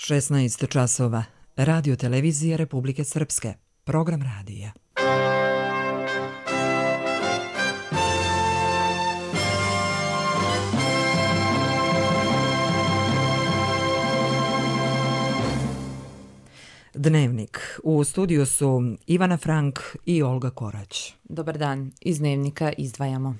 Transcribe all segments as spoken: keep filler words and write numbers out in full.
šesnaest časova. Radio televizija Republike Srpske. Program radija. Dnevnik. U studiju su Ivana Frank i Olga Korać. Dobar dan. Iz Dnevnika izdvajamo.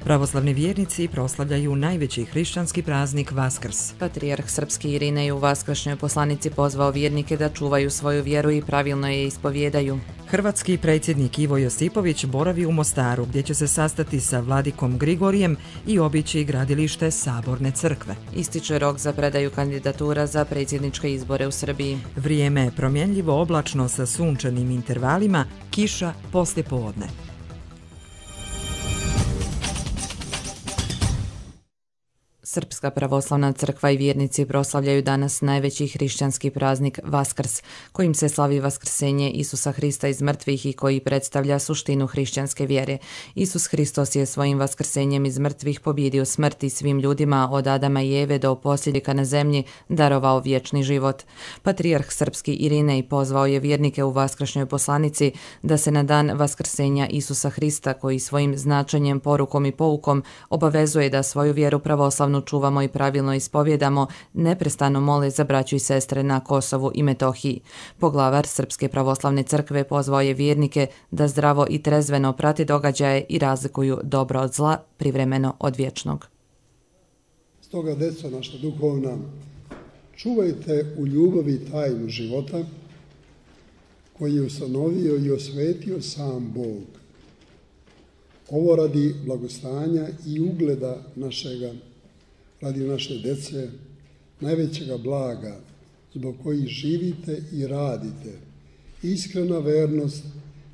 Pravoslavni vjernici proslavljaju najveći hrišćanski praznik Vaskrs. Patrijarh srpski Irinej u vaskršnjoj poslanici pozvao vjernike da čuvaju svoju vjeru i pravilno je ispovjedaju. Hrvatski predsjednik Ivo Josipović boravi u Mostaru, gdje će se sastati sa vladikom Grigorijem i obići gradilište Saborne crkve. Ističe rok za predaju kandidatura za predsjedničke izbore u Srbiji. Vrijeme je promjenljivo, oblačno sa sunčanim intervalima, kiša poslijepodne. Srpska pravoslavna crkva i vjernici proslavljaju danas najveći hrišćanski praznik Vaskrs, kojim se slavi vaskrsenje Isusa Hrista iz mrtvih i koji predstavlja suštinu hrišćanske vjere. Isus Hristos je svojim vaskrsenjem iz mrtvih pobjedio smrt i svim ljudima od Adama i Eve do posljednika na zemlji darovao vječni život. Patrijarh srpski Irinej pozvao je vjernike u vaskršnjoj poslanici da se na dan vaskrsenja Isusa Hrista, koji svojim značenjem, porukom i poukom obavezuje da svoju vjeru pravoslavnu čuvamo i pravilno ispovjedamo, neprestano mole za braću i sestre na Kosovu i Metohiji. Poglavar Srpske pravoslavne crkve pozvao je vjernike da zdravo i trezveno prati događaje i razlikuju dobro od zla, privremeno od vječnog. Stoga, deco naša duhovna, čuvajte u ljubavi tajnu života koji je ustanovio i osvetio sam Bog. Ovo radi blagostanja i ugleda našega, radi naše dece, najvećega blaga, zbog kojih živite i radite, iskrena vernost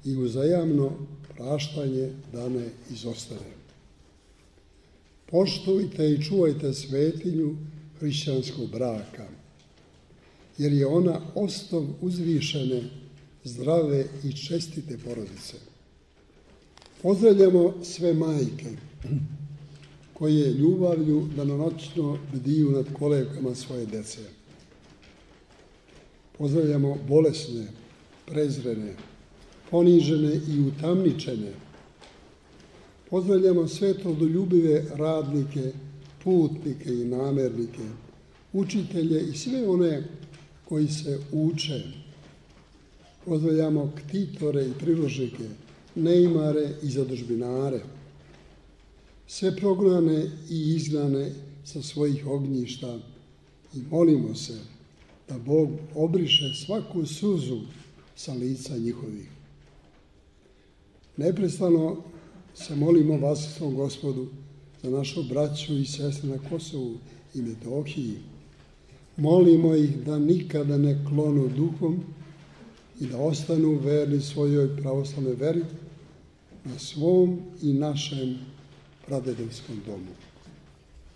i uzajamno praštanje dane izostave. Poštujte i čuvajte svetinju hrišćanskog braka, jer je ona osnov uzvišene, zdrave i čestite porodice. Pozdravljamo sve majke koje ljubavlju danonoćno bdiju nad kolevkama svoje dece. Pozdravljamo bolesne, prezrene, ponižene i utamničene. Pozdravljamo sve trudoljubive radnike, putnike i namernike, učitelje i sve one koji se uče. Pozdravljamo ktitore i priložnike, neimare i zadužbinare, sve prognane i izgnane sa svojih ognjišta i molimo se da Bog obriše svaku suzu sa lica njihovih. Neprestano se molimo Vaskrsnom Gospodu za našu braću i sestre na Kosovu i Metohiji. Molimo ih da nikada ne klonu duhom i da ostanu verni svojoj pravoslavnoj veri na svom i našem pradedovskom domu.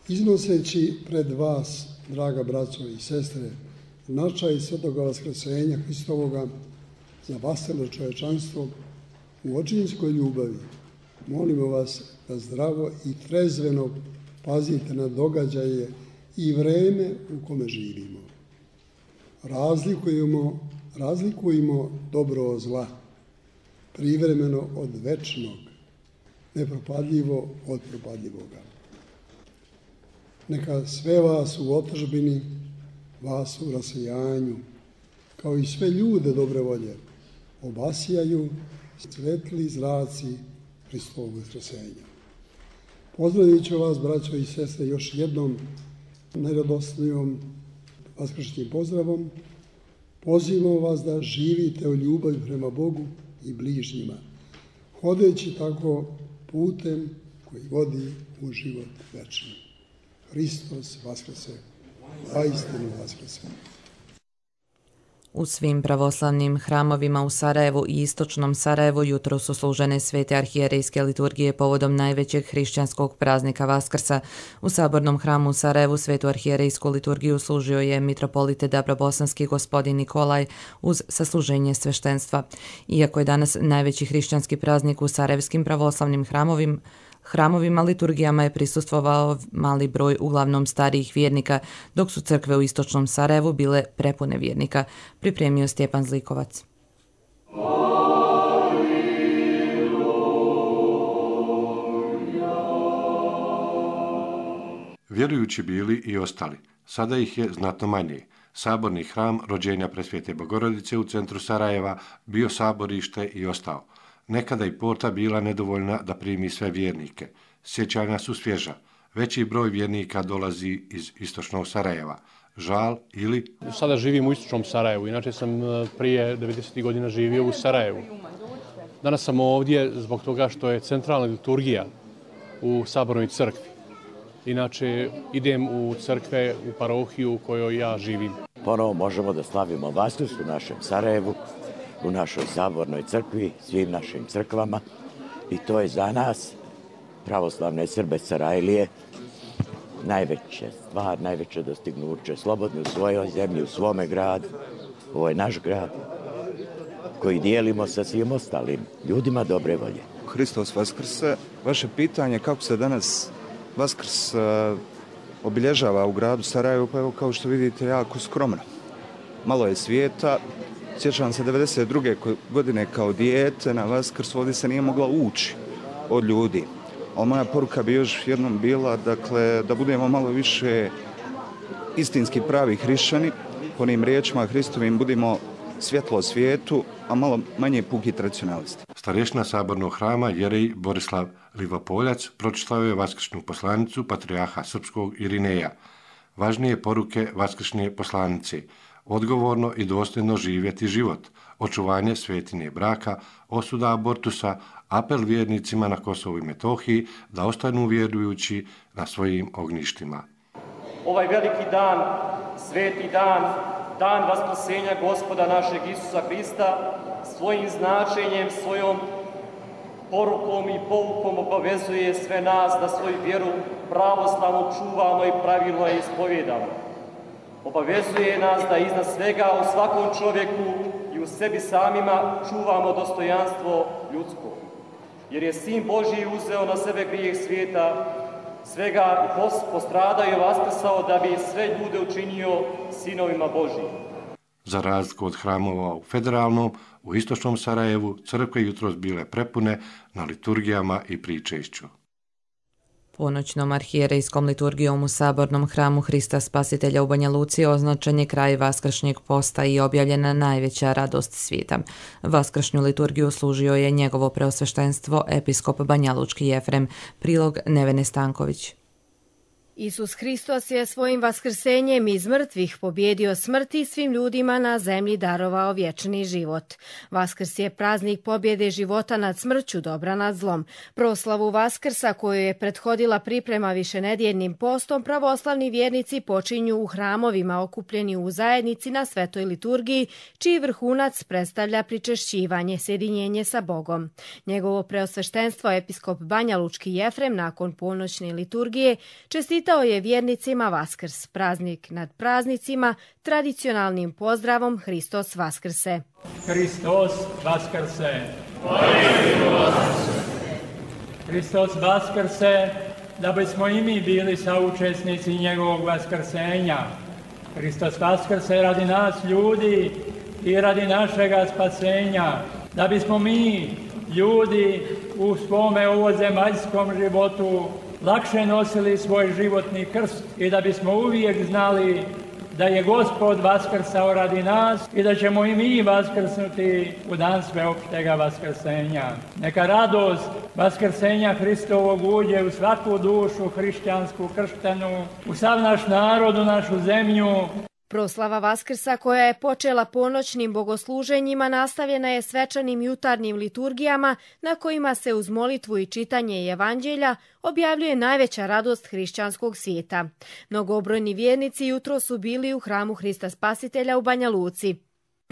Iznoseći pred vas, draga braćo i sestre, značaj svetoga vaskrsenja Hristovoga za vaselno čovječanstvo u očinskoj ljubavi, molimo vas da zdravo i trezveno pazite na događaje i vreme u kome živimo. Razlikujemo, razlikujemo dobro od zla, privremeno od večnog, nepropadljivo od propadljivoga. Neka sve vas u otadžbini, vas u rasejanju, kao i sve ljude dobre volje, obasjaju svetli zraci Hristovog vaskrsenja. Pozdravit ću vas, braćo i sestre, još jednom najradosnijom vaskršnjim pozdravom. Pozivamo vas da živite u ljubavi prema Bogu i bližnjima, hodeći tako putem koji vodi u život večni. Hristos vaskrse, zaistinu vaskrse. U svim pravoslavnim hramovima u Sarajevu i istočnom Sarajevu jutro su služene svete arhijerejske liturgije povodom najvećeg hrišćanskog praznika Vaskrsa. U Sabornom hramu u Sarajevu svetu arhijerejsku liturgiju služio je mitropolite Dabrobosanski gospodin Nikolaj uz sasluženje sveštenstva. Iako je danas najveći hrišćanski praznik u sarajevskim pravoslavnim hramovima, Hramovima liturgijama je prisustvovao mali broj uglavnom starijih vjernika, dok su crkve u istočnom Sarajevu bile prepune vjernika, pripremio Stjepan Zlikovac. Vjerujući bili i ostali, sada ih je znatno manje. Saborni hram rođenja Presvete Bogorodice u centru Sarajeva bio saborište i ostao. Nekada i porta bila nedovoljna da primi sve vjernike. Sjećanja su svježa. Veći broj vjernika dolazi iz istočnog Sarajeva. Žal ili... Sada živim u istočnom Sarajevu, inače sam prije devedesetih godina živio u Sarajevu. Danas sam ovdje zbog toga što je centralna liturgija u Sabornoj crkvi. Inače, idem u crkve, u parohiju u kojoj ja živim. Ponovo možemo da slavimo Vaskrs u našem Sarajevu, u našoj Sabornoj crkvi, svim našim crkvama. I to je za nas, pravoslavne Srbe Sarajlije, najveća stvar, najveće dostignuće. Slobodni u svojoj zemlji, u svome gradu. Ovo je naš grad koji dijelimo sa svim ostalim ljudima dobre volje. Hristos Vaskrse, vaše pitanje kako se danas Vaskrs uh, obilježava u gradu Sarajevu, pa evo kao što vidite jako skromno. Malo je svijeta, sjećam se devedeset druge godine kao dijete na Vaskrs ovdje se nije mogla ući od ljudi. Ali moja poruka bi još jednom bila dakle, da budemo malo više istinski pravi hrišćani, po onim riječima Hristovim budimo svjetlo svijetu, a malo manje puki tradicionalisti. Starješina Sabornog hrama jerej Borislav Livopoljac pročitao je vaskršnju poslanicu patrijarha srpskog Irineja. Važnije poruke vaskršnje poslanice, odgovorno i dosljedno živjeti život, očuvanje svetinje braka, osuda abortusa, apel vjernicima na Kosovu i Metohiji da ostanu vjerujući na svojim ognjištima. Ovaj veliki dan, sveti dan, dan vaskrsenja Gospoda našeg Isusa Hrista, svojim značenjem, svojom porukom i poukom obavezuje sve nas da svoju vjeru pravoslavno čuvamo i pravilno je ispovjedamo. Obavezuje nas da iznad svega u svakom čovjeku i u sebi samima čuvamo dostojanstvo ljudsko. Jer je Sin Božji uzeo na sebe grijeh svijeta, svega i postradao i vaskrsao da bi sve ljude učinio sinovima Božjim. Za razliku od hramova u Federalnom, u istočnom Sarajevu crkve jutros bile prepune na liturgijama i pričešću. Ponoćnom arhijerejskom liturgijom u Sabornom hramu Hrista Spasitelja u Banja Luci označen je kraj vaskršnjeg posta i objavljena najveća radost svijeta. Vaskršnju liturgiju služio je njegovo preosveštenstvo episkop banjalučki Jefrem, prilog Nevene Stanković. Isus Hristos je svojim vaskrsenjem iz mrtvih pobjedio smrt i svim ljudima na zemlji darovao vječni život. Vaskrs je praznik pobjede života nad smrću, dobra nad zlom. Proslavu Vaskrsa, koju je prethodila priprema višenedjeljnim postom, pravoslavni vjernici počinju u hramovima okupljeni u zajednici na svetoj liturgiji, čiji vrhunac predstavlja pričešćivanje, sjedinjenje sa Bogom. Njegovo preosveštenstvo episkop banjalučki Jefrem nakon ponoćne liturgije čestitao Čestitao je vjernicima Vaskrs, praznik nad praznicima, tradicionalnim pozdravom Hristos Vaskrse. Hristos Vaskrse. Hristos Vaskrse, da bismo i mi bili saučesnici njegovog vaskrsenja. Hristos Vaskrse radi nas ljudi i radi našega spasenja, da bismo mi ljudi u svome ovozemaljskom životu lakše nosili svoj životni krst i da bismo uvijek znali da je Gospod vaskrsao radi nas i da ćemo i mi vaskrsnuti u dan sveopštega vaskrsenja. Neka radost vaskrsenja Hristovog uđe u svaku dušu hrišćansku krštenu, u sav naš narod, u našu zemlju. Proslava Vaskrsa, koja je počela ponoćnim bogosluženjima, nastavljena je svečanim jutarnjim liturgijama na kojima se uz molitvu i čitanje evanđelja objavljuje najveća radost hrišćanskog svijeta. Mnogobrojni vjernici jutro su bili u hramu Hrista Spasitelja u Banja Luci.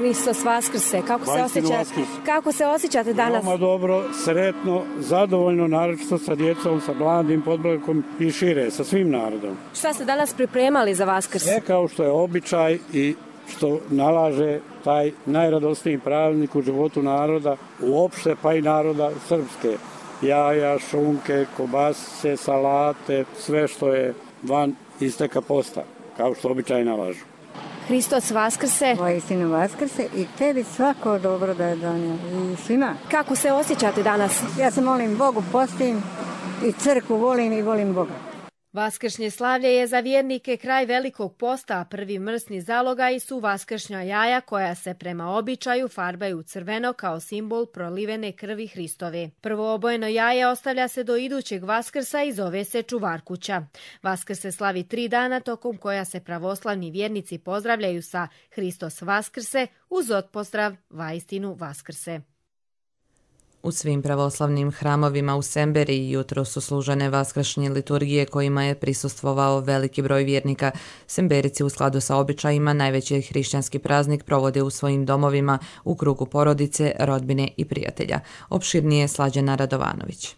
Hristos Vaskrse, kako se, osjeća, kako se osjećate danas? Veoma dobro, sretno, zadovoljno, naročito sa djecom, sa mladim podbojkom i šire, sa svim narodom. Šta ste danas pripremali za Vaskrs? E, kao što je običaj i što nalaže taj najradosniji praznik u životu naroda, uopšte pa i naroda srpske. jaja, šunke, kobasice, salate, sve što je van isteka posta, kao što običaj nalažu. Hristos vaskrse. Vojstinu vaskrse i tebi svako dobro da je donio i svima. Kako se osjećate danas? Ja se molim Bogu, postim i crkvu volim i volim Boga. Vaskršnje slavlje je za vjernike kraj Velikog posta, a prvi mrsni zalogaji su vaskršnja jaja koja se prema običaju farbaju u crveno kao simbol prolivene krvi Hristove. Prvo obojeno jaje ostavlja se do idućeg Vaskrsa i zove se Čuvarkuća. Vaskrs se slavi tri dana tokom koja se pravoslavni vjernici pozdravljaju sa Hristos Vaskrse uz otpozdrav Vajstinu Vaskrse. U svim pravoslavnim hramovima u Semberiji jutro su služene vaskršnje liturgije kojima je prisustvovao veliki broj vjernika. Semberici u skladu sa običajima najveći hrišćanski praznik provode u svojim domovima u krugu porodice, rodbine i prijatelja. Opširnije Slađana Radovanović.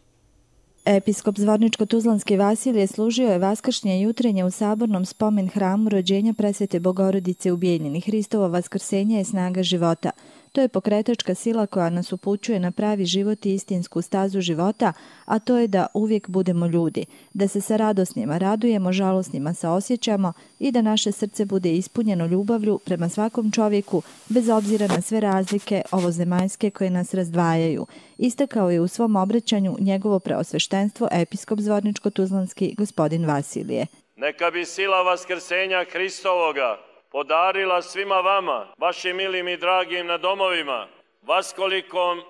Episkop Zvorničko-Tuzlanski Vasilije služio je vaskršnje jutrenje u sabornom spomen hramu rođenja presvete Bogorodice u Bijeljini. Hristovo vaskrsenje je snaga života. To je pokretačka sila koja nas upućuje na pravi život i istinsku stazu života, a to je da uvijek budemo ljudi, da se sa radosnima radujemo, žalosnima saosjećamo i da naše srce bude ispunjeno ljubavlju prema svakom čovjeku, bez obzira na sve razlike ovozemaljske koje nas razdvajaju. Istakao je u svom obraćanju njegovo preosveštenstvo episkop Zvorničko-Tuzlanski gospodin Vasilije. Neka bi sila vaskrsenja Hristovoga podarila svima vama, vašim milim i dragim na domovima, vaskolikom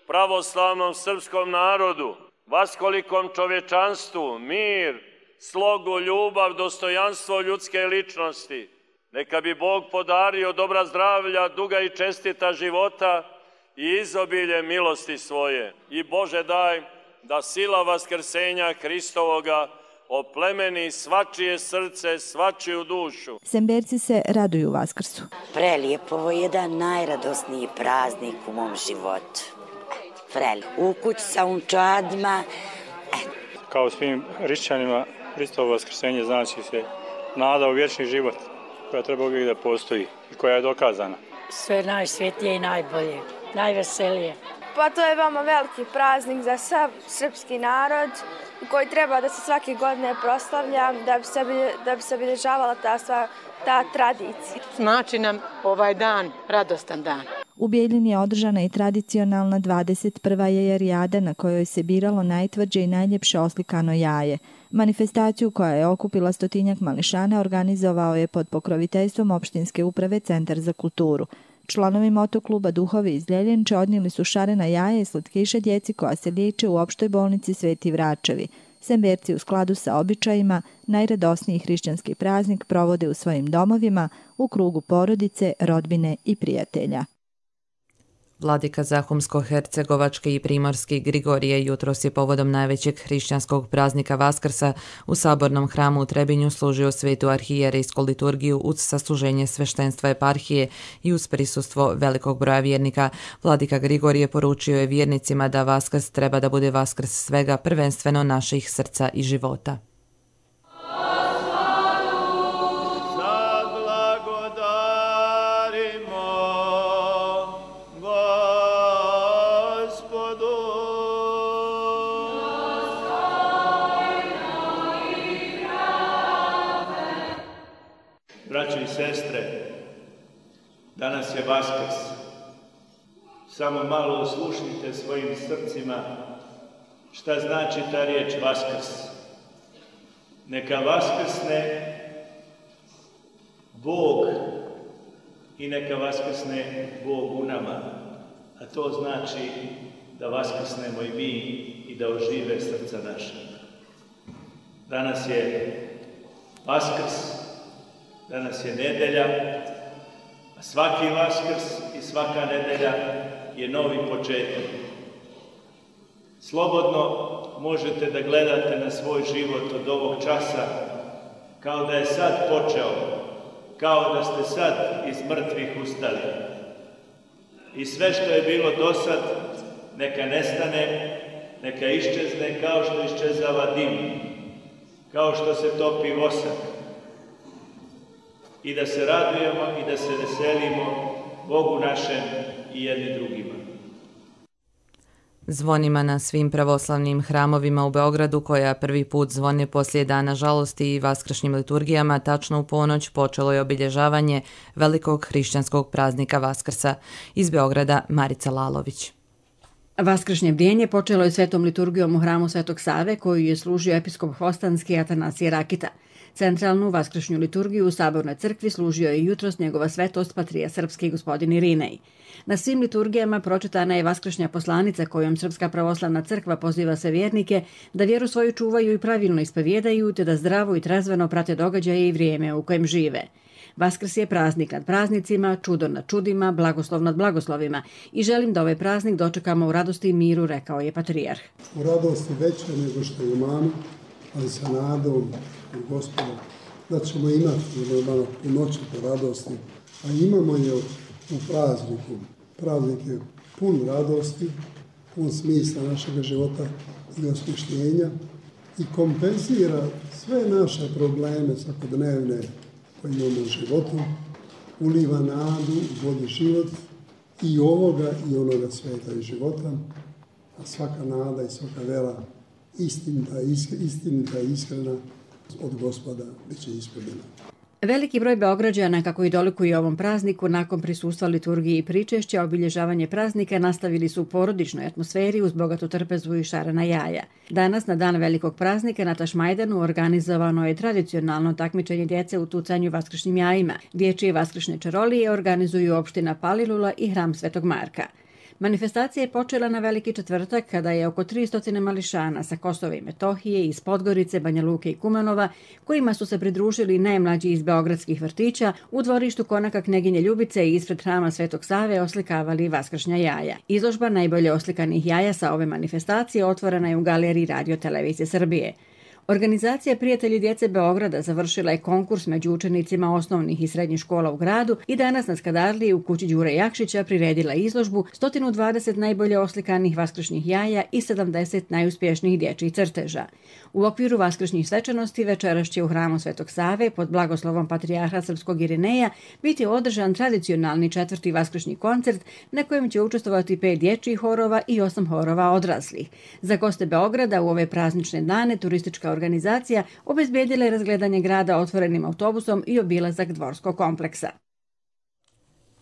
pravoslavnom srpskom narodu, vaskolikom čovječanstvu, mir, slogu, ljubav, dostojanstvo ljudske ličnosti. Neka bi Bog podario dobra zdravlja, duga i čestita života i izobilje milosti svoje. I Bože daj da sila vaskrsenja Hristovoga oplemeni svačije srce, svačiju dušu. Semberci se raduju Vaskrsu. Prelijepo, ovo je jedan najradosniji praznik u mom životu. Prelijepo. U kući sa unčadima. Kao svim hrišćanima, Hristovo vaskrsenje znači se nada u vječni život koja treba uvijek da postoji i koja je dokazana. Sve najsvetije i najbolje, najveselije. Pa to je veoma veliki praznik za sav srpski narod koji treba da se svake godine proslavlja, da bi se, da bi se obilježavala ta, sva, ta tradicija. Znači nam ovaj dan radostan dan. U Bijeljini je održana i tradicionalna dvadeset prva jajarijada na kojoj se biralo najtvrđe i najljepše oslikano jaje. Manifestaciju koja je okupila stotinjak mališana organizovao je pod pokroviteljstvom opštinske uprave Centar za kulturu. Članovi motokluba Duhovi iz Ljeljenče odnijeli su šarena jaja i slatkiše djeci koja se liječe u opštoj bolnici Sveti Vračevi. Semberci u skladu sa običajima najradosniji hrišćanski praznik provode u svojim domovima u krugu porodice, rodbine i prijatelja. Vladika Zahumsko-Hercegovački i Primorski Grigorije jutros je povodom najvećeg hrišćanskog praznika Vaskrsa u sabornom hramu u Trebinju služio svetu arhijerejsku liturgiju uz sasluženje sveštenstva eparhije i uz prisustvo velikog broja vjernika. Vladika Grigorije poručio je vjernicima da Vaskrs treba da bude Vaskrs svega, prvenstveno naših srca i života. Braćo i sestre, danas je Vaskrs. Samo malo oslušnite svojim srcima šta znači ta riječ Vaskrs. Neka vaskrsne Bog i neka vaskrsne Bog u nama. A to znači da vaskrsnemo i mi i da ožive srca naša. Danas je Vaskrs. Danas je nedelja, a svaki Vaskrs i svaka nedelja je novi početak. Slobodno možete da gledate na svoj život od ovog časa kao da je sad počeo, kao da ste sad iz mrtvih ustali. I sve što je bilo do sad, neka nestane, neka iščezne kao što iščezava dim, kao što se topi vosak. I da se radujemo i da se veselimo Bogu našem i jedni drugima. Zvonima na svim pravoslavnim hramovima u Beogradu, koja prvi put zvone poslije dana žalosti i vaskršnjim liturgijama, tačno u ponoć počelo je obilježavanje velikog hrišćanskog praznika Vaskrsa. Iz Beograda Marica Lalović. Vaskršnje bdjenje počelo je svetom liturgijom u hramu Svetog Save, koju je služio episkop Hvostanski Atanasije Rakita. Centralnu vaskršnju liturgiju u Sabornoj crkvi služio je jutros njegova svetost Patrija Srpski gospodin Irinej. Na svim liturgijama pročitana je vaskršnja poslanica kojom Srpska pravoslavna crkva poziva sve vjernike da vjeru svoju čuvaju i pravilno ispovjedaju, te da zdravo i trezveno prate događaje i vrijeme u kojem žive. Vaskrs je praznik nad praznicima, čudo nad čudima, blagoslov nad blagoslovima i želim da ovaj praznik dočekamo u radosti i miru, rekao je patrijarh. U radosti veće nego što imamo, ali sa nadom u Gospodu da ćemo imati normalno u noći po radosti, a imamo je u prazniku. Praznik je pun radosti, pun smisla našeg života i osmišljenja i kompenzira sve naše probleme svakodnevne koje imamo u životu, uliva nadu, vodi život i ovoga i onoga sveta i života, a svaka nada i svaka vera istinita, istinita i iskrena od Gospoda bit će ispunjena. Veliki broj Beograđana, kako i dolikuje ovom prazniku, nakon prisustva liturgiji i pričešća, obilježavanje praznika nastavili su u porodičnoj atmosferi uz bogatu trpezu i šarena jaja. Danas, na dan velikog praznika, na Tašmajdanu organizovano je tradicionalno takmičenje djece u tucanju vaskršnjim jajima. Dječje vaskršnje čarolije organizuju opština Palilula i hram Svetog Marka. Manifestacija je počela na Veliki četvrtak kada je oko tristo mališana sa Kosova i Metohije, iz Podgorice, Banja Luke i Kumanova, kojima su se pridružili najmlađi iz beogradskih vrtića, u dvorištu konaka Kneginje Ljubice i ispred hrama Svetog Save oslikavali vaskršnja jaja. Izložba najbolje oslikanih jaja sa ove manifestacije otvorena je u galeriji Radio Televizije Srbije. Organizacija Prijatelji djece Beograda završila je konkurs među učenicima osnovnih i srednjih škola u gradu i danas na Skadarliji u kući Đure Jakšića priredila izložbu sto dvadeset najbolje oslikanih vaskršnjih jaja i sedamdeset najuspješnijih dječjih crteža. U okviru vaskršnjih svečanosti večeras će u hramu Svetog Save pod blagoslovom patrijarha Srpskog Irineja biti održan tradicionalni četvrti vaskršnji koncert na kojem će učestvovati pet dječjih horova i osam horova odraslih. Za goste Beograda u ove praznične dane turistička organizacija obezbedila je razgledanje grada otvorenim autobusom i obilazak dvorskog kompleksa.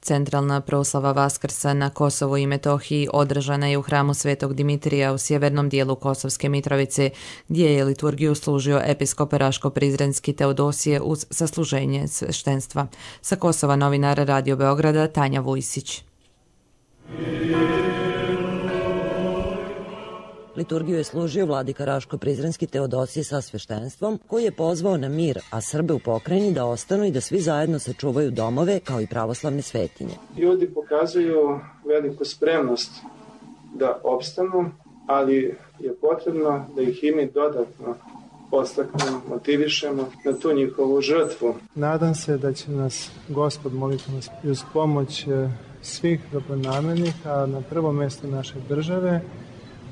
Centralna proslava Vaskrsa na Kosovu i Metohiji održana je u hramu Svetog Dimitrija u sjevernom dijelu Kosovske Mitrovice, gdje je liturgiju služio episkop Raško-Prizrenski Teodosije uz sasluženje sveštenstva. Sa Kosova novinar Radio Beograda Tanja Vujsić. Liturgiju je služio vladika Raško-Prizrenski Teodosije sa sveštenstvom, koji je pozvao na mir, a Srbe u pokrajini da ostanu i da svi zajedno sačuvaju domove kao i pravoslavne svetinje. Ljudi pokazuju veliku spremnost da opstanu, ali je potrebno da ih i mi dodatno podstaknemo, motivišemo na tu njihovu žrtvu. Nadam se da će nas Gospod moliti nas i uz pomoć svih dobronamernih, a na prvo mjesto naše države,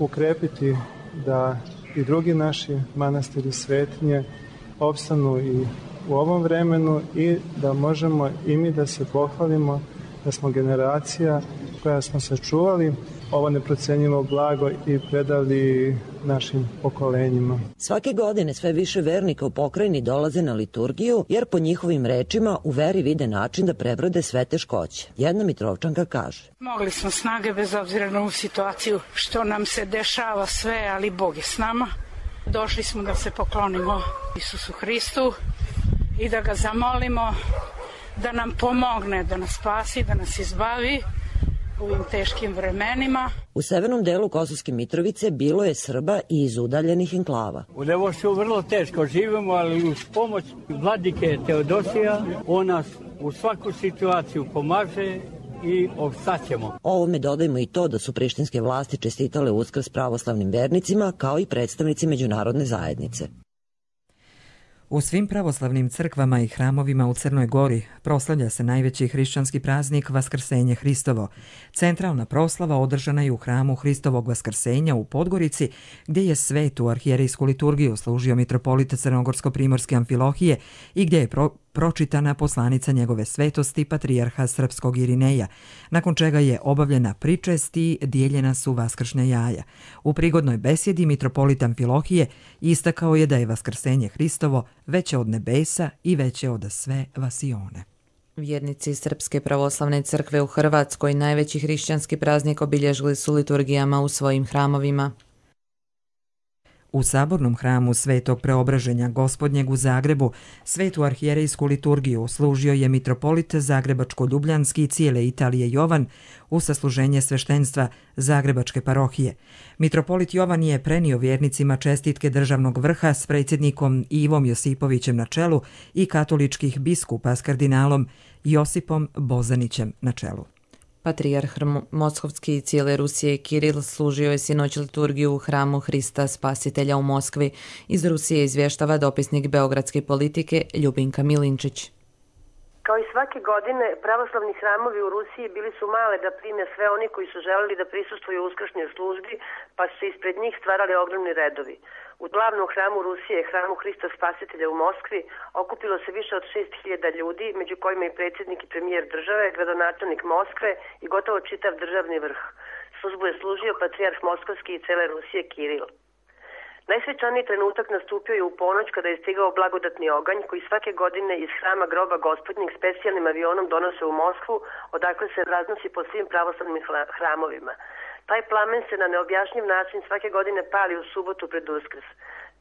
ukrepiti da i drugi naši manastiri svetinje opstanu i u ovom vremenu i da možemo i mi da se pohvalimo da smo generacija koja smo sačuvali ovo neprocenjivo blago i predali našim pokolenjima. Svake godine sve više vernika u pokrajini dolaze na liturgiju, jer po njihovim rečima u veri vide način da prebrode sve teškoće. Jedna Mitrovčanka kaže: Mogli smo snage bez obzira na ovu situaciju što nam se dešava sve, ali Bog je s nama. Došli smo da se poklonimo Isusu Hristu i da ga zamolimo da nam pomogne, da nas spasi, da nas izbavi u ovim teškim vremenima. U severnom delu Kosovske Mitrovice bilo je Srba i iz udaljenih enklava. U Levošću vrlo teško živimo, ali uz pomoć vladike Teodosija on nas u svaku situaciju pomaže i opstaćemo. Ovome dodajmo i to da su prištinske vlasti čestitale Uskrs pravoslavnim vernicima kao i predstavnici međunarodne zajednice. U svim pravoslavnim crkvama i hramovima u Crnoj Gori proslavlja se najveći hrišćanski praznik Vaskrsenje Hristovo. Centralna proslava održana je u hramu Hristovog Vaskrsenja u Podgorici, gdje je svetu arhijerejsku liturgiju služio mitropolita Crnogorsko-primorske Amfilohije i gdje je pro pročitana poslanica njegove svetosti patrijarha srpskog Irineja, nakon čega je obavljena pričest i dijeljena su vaskršnja jaja. U prigodnoj besjedi mitropolit Amfilohije istakao je da je vaskrsenje Hristovo veće od nebesa i veće od sve vasione. Vjernici Srpske pravoslavne crkve u Hrvatskoj najveći hrišćanski praznik obilježili su liturgijama u svojim hramovima. U sabornom hramu Svetog Preobraženja Gospodnjeg u Zagrebu svetu arhijerejsku liturgiju služio je mitropolit Zagrebačko-Ljubljanski i cijele Italije Jovan u sasluženje sveštenstva Zagrebačke parohije. Mitropolit Jovan je prenio vjernicima čestitke državnog vrha s predsjednikom Ivom Josipovićem na čelu i katoličkih biskupa s kardinalom Josipom Bozanićem na čelu. Patrijarh Moskovski i cijele Rusije Kiril služio je sinoć liturgiju u hramu Hrista Spasitelja u Moskvi. Iz Rusije izvještava dopisnik beogradske politike Ljubinka Milinčić. Kao i svake godine, pravoslavni hramovi u Rusiji bili su male da prime sve oni koji su želeli da prisustvuju uskršnjoj službi, pa su se ispred njih stvarali ogromni redovi. U glavnom hramu Rusije, hramu Hrista Spasitelja u Moskvi, okupilo se više od šest hiljada ljudi, među kojima i predsjednik i premijer države, gradonačelnik Moskve i gotovo čitav državni vrh. Službu je služio patrijarh Moskovski i cele Rusije Kiril. Najsvečaniji trenutak nastupio je u ponoć kada je stigao blagodatni oganj koji svake godine iz hrama groba Gospodnjeg specijalnim avionom donose u Moskvu, odakle se raznosi po svim pravoslavnim hramovima. Taj plamen se na neobjašnjiv način svake godine pali u subotu pred Uskrs.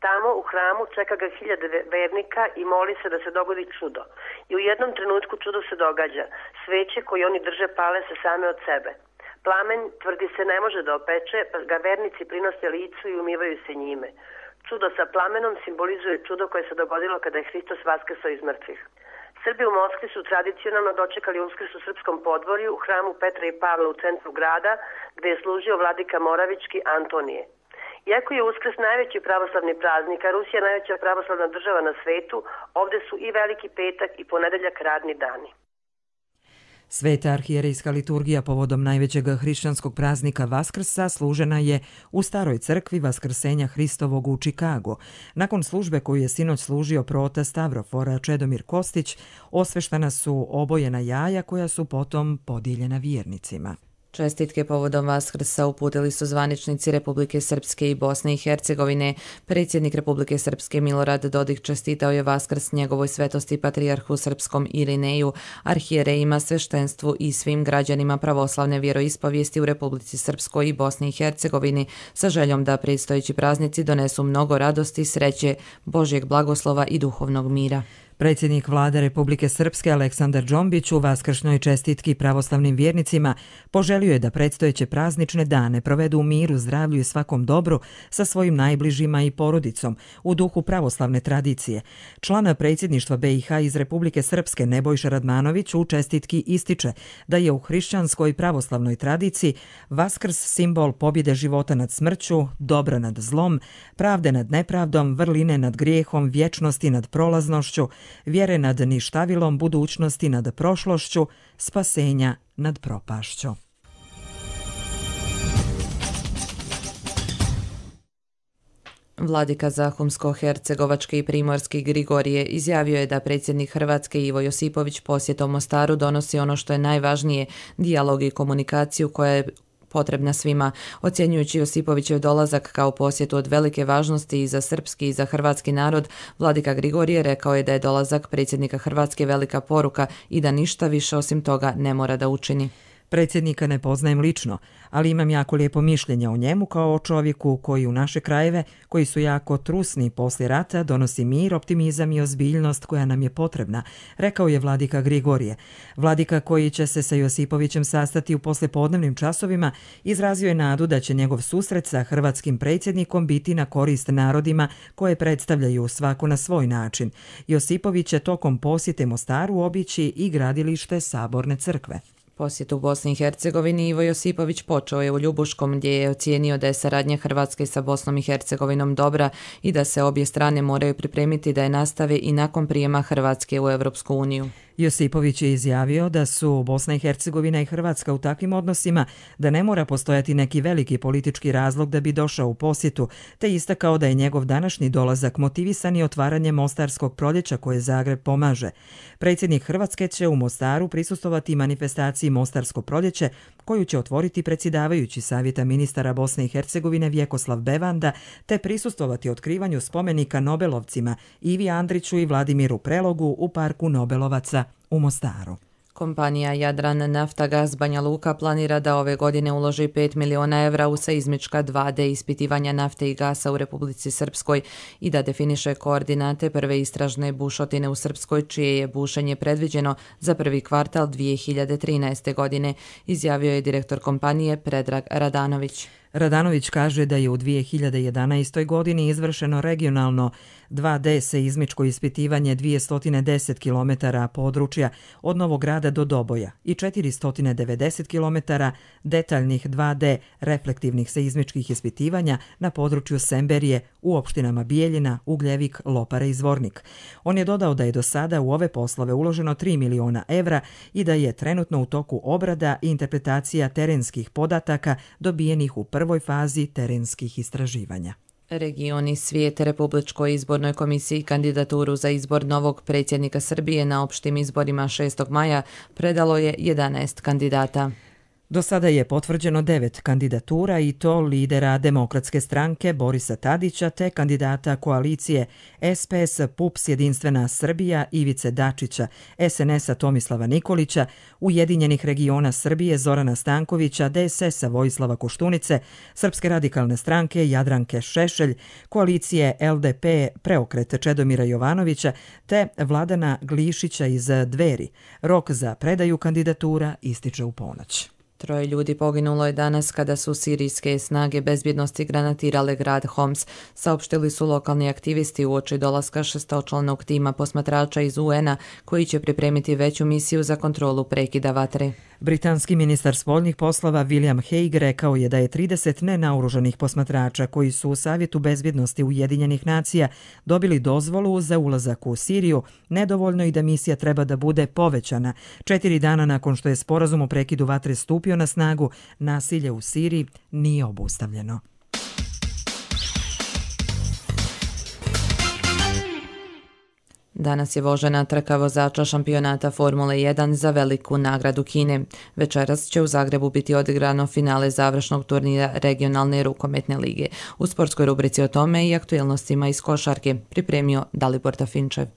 Tamo u hramu čeka ga hiljade vernika i moli se da se dogodi čudo. I u jednom trenutku čudo se događa. Sveće koje oni drže pale se same od sebe. Plamen, tvrdi se, ne može da opeče, pa ga vernici prinose licu i umivaju se njime. Čudo sa plamenom simbolizuje čudo koje se dogodilo kada je Hristos vaskrsao iz mrtvih. Srbi u Moskvi su tradicionalno dočekali Uskrs u srpskom podvorju u hramu Petra i Pavla u centru grada, gde je služio vladika Moravički Antonije. Iako je Uskrs najveći pravoslavni praznik, a Rusija najveća pravoslavna država na svetu, ovde su i Veliki petak i ponedeljak radni dani. Sveta arhijerejska liturgija povodom najvećeg hrišćanskog praznika Vaskrsa služena je u staroj crkvi Vaskrsenja Hristovog u Čikagu. Nakon službe koju je sinoć služio proota Stavrofora Čedomir Kostić, osveštana su obojena jaja koja su potom podijeljena vjernicima. Čestitke povodom Vaskrsa uputili su zvaničnici Republike Srpske i Bosne i Hercegovine. Predsjednik Republike Srpske Milorad Dodik čestitao je Vaskrs njegovoj svetosti patrijarhu srpskom Irineju, arhijerejima, sveštenstvu i svim građanima pravoslavne vjeroispovijesti u Republici Srpskoj i Bosni i Hercegovini sa željom da predstojeći praznici donesu mnogo radosti, sreće, Božjeg blagoslova i duhovnog mira. Predsjednik vlade Republike Srpske Aleksandar Džombić u vaskršnjoj čestitki pravoslavnim vjernicima poželio je da predstojeće praznične dane provedu u miru, zdravlju i svakom dobru sa svojim najbližima i porodicom u duhu pravoslavne tradicije. Član predsjedništva be i ha iz Republike Srpske Nebojša Radmanović u čestitki ističe da je u hrišćanskoj pravoslavnoj tradiciji Vaskrs simbol pobjede života nad smrću, dobra nad zlom, pravde nad nepravdom, vrline nad grijehom, vječnosti nad prolaznošću, vjere nad ništavilom, budućnosti nad prošlošću, spasenja nad propašću. Vladika Zahumsko-hercegovački i primorski Grigorije izjavio je da predsjednik Hrvatske Ivo Josipović posjetom Mostaru donosi ono što je najvažnije, dijalog i komunikaciju koja je potrebna svima. Ocjenjujući Josipovićev dolazak kao posjetu od velike važnosti i za srpski i za hrvatski narod, vladika Grigorije rekao je da je dolazak predsjednika Hrvatske velika poruka i da ništa više osim toga ne mora da učini. Predsjednika ne poznajem lično, ali imam jako lijepo mišljenje o njemu kao o čovjeku koji u naše krajeve, koji su jako trusni poslije rata, donosi mir, optimizam i ozbiljnost koja nam je potrebna, rekao je vladika Grigorije. Vladika koji će se sa Josipovićem sastati u poslijepodnevnim časovima izrazio je nadu da će njegov susret sa hrvatskim predsjednikom biti na korist narodima koje predstavljaju svako na svoj način. Josipović će tokom posjete Mostaru obići i gradilište Saborne crkve. Posjet u Bosni i Hercegovini Ivo Josipović počeo je u Ljubuškom gdje je ocijenio da je saradnja Hrvatske sa Bosnom i Hercegovinom dobra i da se obje strane moraju pripremiti da je nastave i nakon prijema Hrvatske u Europsku uniju. Josipović je izjavio da su Bosna i Hercegovina i Hrvatska u takvim odnosima da ne mora postojati neki veliki politički razlog da bi došao u posjetu, te istakao da je njegov današnji dolazak motivisan i otvaranjem Mostarskog proljeća koje Zagreb pomaže. Predsjednik Hrvatske će u Mostaru prisustvovati manifestaciji Mostarsko proljeće, koju će otvoriti predsjedavajući Savjeta ministara Bosne i Hercegovine Vjekoslav Bevanda, te prisustvovati otkrivanju spomenika Nobelovcima Ivi Andriću i Vladimiru Prelogu u parku Nobelovaca u Mostaru. Kompanija Jadran Naftagaz Banja Luka planira da ove godine uloži pet miliona evra u seizmička dva D ispitivanja nafte i gasa u Republici Srpskoj i da definiše koordinate prve istražne bušotine u Srpskoj, čije je bušenje predviđeno za prvi kvartal dvije hiljade trinaeste. godine, izjavio je direktor kompanije Predrag Radanović. Radanović kaže da je u dvije hiljade jedanaestoj. godini izvršeno regionalno dva D seizmičko ispitivanje dvjesto deset kilometara područja od Novog Grada do Doboja i četiristo devedeset kilometara detaljnih dva D reflektivnih seizmičkih ispitivanja na području Semberije u opštinama Bijeljina, Ugljevik, Lopara i Zvornik. On je dodao da je do sada u ove poslove uloženo tri miliona evra i da je trenutno u toku obrada i interpretacija terenskih podataka dobijenih u prvoj fazi terenskih istraživanja. Regioni svijete Republičkoj izbornoj komisiji kandidaturu za izbor novog predsjednika Srbije na opštim izborima šestog maja predalo je jedanaest kandidata. Do sada je potvrđeno devet kandidatura i to lidera Demokratske stranke Borisa Tadića te kandidata koalicije S P S P U P S Jedinstvena Srbija Ivice Dačića, S N S-a Tomislava Nikolića, Ujedinjenih regiona Srbije Zorana Stankovića, D S S-a Vojislava Koštunice, Srpske radikalne stranke Jadranke Šešelj, koalicije L D P Preokret Čedomira Jovanovića te Vladana Glišića iz Dveri. Rok za predaju kandidatura ističe u ponoć. Troje ljudi poginulo je danas kada su sirijske snage bezbjednosti granatirale grad Homs, saopštili su lokalni aktivisti uoči dolaska šestočlanog tima posmatrača iz U N-a koji će pripremiti veću misiju za kontrolu prekida vatre. Britanski ministar spoljnih poslova William Hague rekao je da je trideset nenaoružanih posmatrača koji su u Savjetu bezbjednosti Ujedinjenih nacija dobili dozvolu za ulazak u Siriju nedovoljno i da misija treba da bude povećana. Četiri dana nakon što je sporazum o prekidu vatre stupio na snagu, nasilje u Siriji nije obustavljeno. Danas je vožena trka vozača šampionata Formule jedan za veliku nagradu Kine. Večeras će u Zagrebu biti odigrano finale završnog turnira regionalne rukometne lige. U sportskoj rubrici o tome i aktuelnostima iz košarke pripremio Dalibor Tafinčev.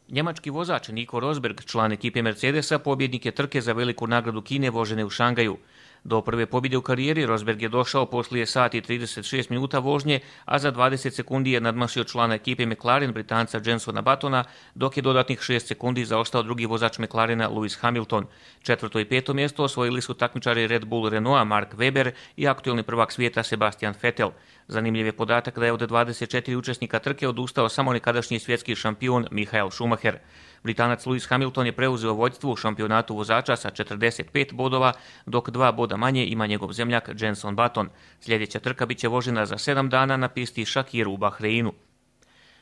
Njemački vozač Nico Rosberg, član ekipe Mercedesa, pobjednik je trke za veliku nagradu Kine vožene u Šangaju. Do prve pobjede u karijeri Rosberg je došao poslije sat i trideset šest minuta vožnje, a za dvadeset sekundi je nadmašio člana ekipe McLaren, Britanca Jensona Buttona, dok je dodatnih šest sekundi zaostao drugi vozač McLarena Lewis Hamilton. Četvrto i peto mjesto osvojili su takmičari Red Bull Renaulta Mark Webber i aktuelni prvak svijeta Sebastian Vettel. Zanimljiv je podatak da je od dvadeset četiri učesnika trke odustao samo nekadašnji svjetski šampion Michael Schumacher. Britanac Lewis Hamilton je preuzeo vođstvo u šampionatu vozača sa četrdeset pet bodova, dok dva boda manje ima njegov zemljak Jenson Button. Sljedeća trka biće vožena za sedam dana na pisti Shakir u Bahreinu.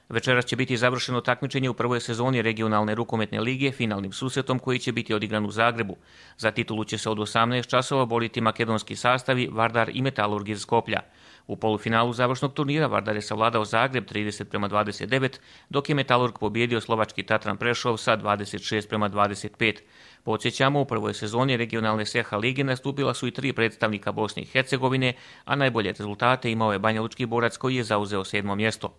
Večeras će biti završeno takmičenje u prvoj sezoni regionalne rukometne lige finalnim susretom koji će biti odigran u Zagrebu. Za titulu će se od osamnaest časova boriti makedonski sastavi Vardar i Metalurg iz Skoplja. U polufinalu završnog turnira Vardar je savladao Zagreb trideset prema dvadeset devet, dok je Metalurg pobjedio slovački Tatran Prešov sa dvadeset šest prema dvadeset pet. Podsjećamo, u prvoj sezoni regionalne S H lige nastupila su i tri predstavnika Bosne i Hercegovine, a najbolje rezultate imao je banjalučki borac koji je zauzeo sedmo mjesto.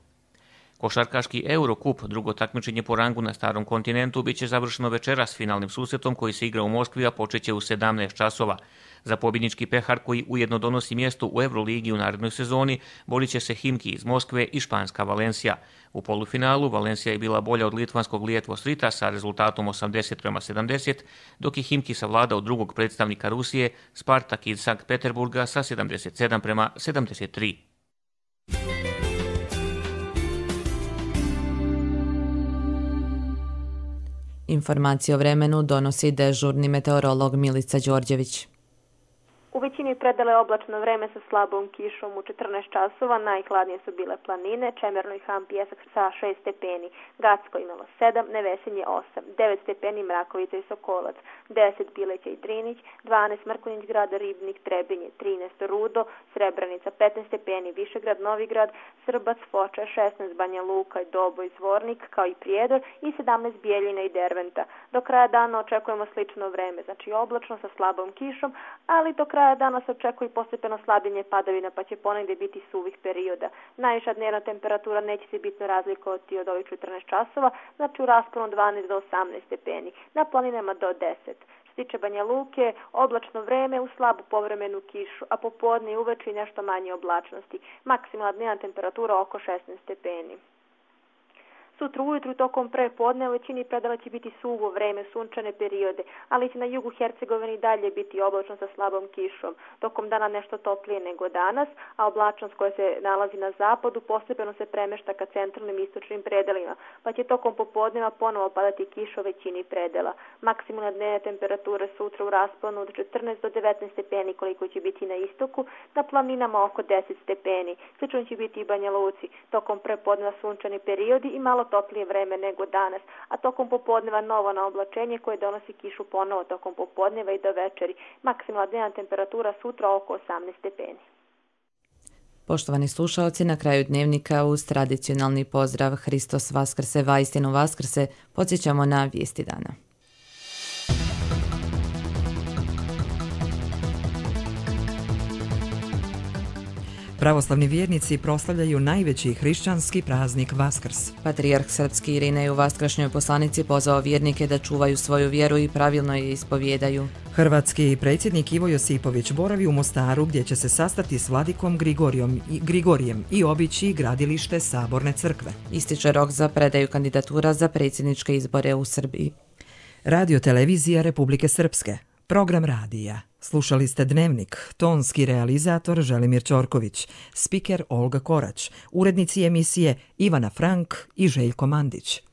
Košarkaški Eurocup, drugo takmičenje po rangu na starom kontinentu, bit će završeno večeras finalnim susretom koji se igra u Moskvi, a počeće u sedamnaest časova. Za pobjednički pehar koji ujedno donosi mjesto u Euroligi u narednoj sezoni borit će se Himki iz Moskve i španska Valencija. U polufinalu Valencija je bila bolja od litvanskog Lietuvos Ryta sa rezultatom osamdeset prema sedamdeset, dok je Himki savladao drugog predstavnika Rusije, Spartak iz Sankt Peterburga sa sedamdeset sedam prema sedamdeset tri. Informacije o vremenu donosi dežurni meteorolog Milica Đorđević. U većini predela je oblačno vreme sa slabom kišom u četrnaest časova, najhladnije su bile planine, Čemerno i Ham Pjesak sa šest stepeni, Gacko imalo sedam, Nevesinje osam, devet stepeni Mrakovica i Sokolac, deset Bileća i Drinić, dvanaest Mrkonjić Grad, Ribnik, Trebinje, trinaest Rudo, Srebrenica, petnaest stepeni Višegrad, Novigrad, Srbac, Foča, šesnaest Banja Luka, Doboj, Zvornik, kao i Prijedor i sedamnaest Bijeljina i Derventa. Do kraja dana očekujemo slično vreme, znači oblačno sa slabom kišom, ali do kraja dana se očekuje postepeno slabljenje padavina, pa će ponegdje biti suvih perioda. Najviša dnevna temperatura neće se bitno razlikovati od ovih četrnaest časova, znači u rasponu dvanaest do osamnaest stepeni, na planinama do deset. Što se tiče Banja Luke, oblačno vreme u slabu povremenu kišu, a popodne i uveče nešto manje oblačnosti. Maksimalna dnevna temperatura oko šesnaest stepeni. Sutra ujutru tokom prepodne u većini predela će biti suvo vreme, sunčane periode, ali će na jugu Hercegovini dalje biti oblačno sa slabom kišom. Tokom dana nešto toplije nego danas, a oblačnost koja se nalazi na zapadu postepeno se premešta ka centralnim i istočnim predelima, pa će tokom popodneva ponovo padati kiša u većini predela. Maksimalna dnevna temperatura sutra u rasponu od četrnaest do devetnaest stepeni koliko će biti na istoku, na planinama oko deset stepeni. Slično će biti i Banja Luci. Tokom prepodneva sunčani periodi i malo toplije vreme nego danas, a tokom popodneva novo na oblačenje koje donosi kišu ponovo tokom popodneva i do večeri. Maksimalna dnevna temperatura sutra oko osamnaest stepeni. Poštovani slušaoci, na kraju dnevnika uz tradicionalni pozdrav Hristos Vaskrse, vaistinu Vaskrse, podsjećamo na vijesti dana. Pravoslavni vjernici proslavljaju najveći hrišćanski praznik Vaskrs. Patrijarh srpski Irinej u vaskršnjoj poslanici pozvao vjernike da čuvaju svoju vjeru i pravilno je ispovjedaju. Hrvatski predsjednik Ivo Josipović boravi u Mostaru gdje će se sastati s vladikom Grigorijom i Grigorijem i obići gradilište Saborne crkve. Ističe rok za predaju kandidatura za predsjedničke izbore u Srbiji. Radio televizija Republike Srpske. Program radija. Slušali ste Dnevnik, tonski realizator Želimir Ćorković, spiker Olga Korać, urednici emisije Ivana Frank i Željko Mandić.